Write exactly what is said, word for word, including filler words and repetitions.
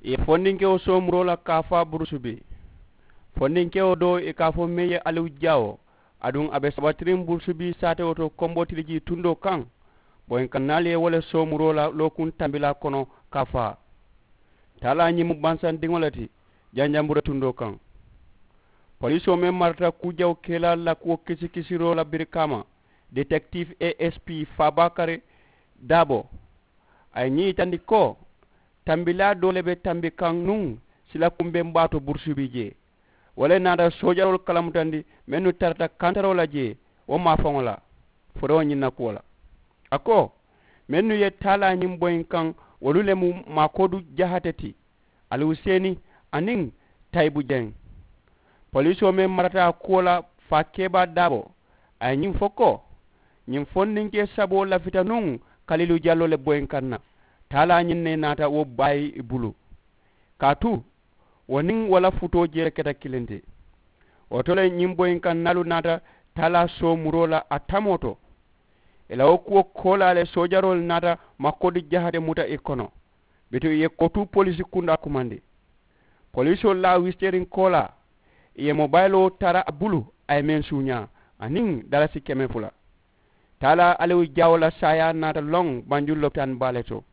Ì ye fondinkewo soomuroo la kaafaa burusubii. Fondinkewo doo ì ka a fo meŋ ye aliwu jaawo, aduŋ a be sabatiriŋ burusubii saatewo to kombotilijii tundoo kaŋ. Boyinkaŋ naalu ye wo le soomuroo la lookuŋ tambilaa kono kaafaa. Taalaa ñiŋ mu bansandiŋo le ti janjambura tundoo kaŋ. Poliisoo meŋ marata kuu jawo kelaalu la kuwo kisikisiroo la birikaama, detektif asp faabakari daabo, a ye ñiŋ yitandi ko tambilaa doo le be tambi kaŋ nuŋ sila kumbeŋ baa to burusubii jee. Wo le naata soojaroolu kalamutandi mennu tarata kantaroo la jee wo maafaŋo la. Forowo ñiŋ na kuwo la a ko mennu ye taalaa ñiŋ boyinkaŋ wolu le mu maakoodu jahate ti, ali wuseeni aniŋ tayibu jeŋ. Poliisoo meŋ marata a kuwo la faa keebaa daabo, a ye ñiŋ fo ko ñiŋ fondinkee saboo lafita nuŋ kalilu jalloo le boyinkaŋ na. Taalaa ñiŋ ne naata wo baayi i bulu kaatu wo niŋ wo la futoo jee le keta kiliŋ ti. Wo to le ñiŋ boyinkaŋ naalu naata taalaa soomuroo la a tamoo to. Ì la wo kuwo koolaa le soojaroolu naata makkodi jahate muta ì kono. Bituŋ ì ye kotuu poliisi kundaa kumandi. Poliisoolu la a wisiteeriŋ koolaa ì ye mobayiloo tara a bulu a ye meŋ suuñaa aniŋ dalasi keme fula. Taalaa aliwu jaawo la saayaa naata loŋ banjulu lopitaani baa le to.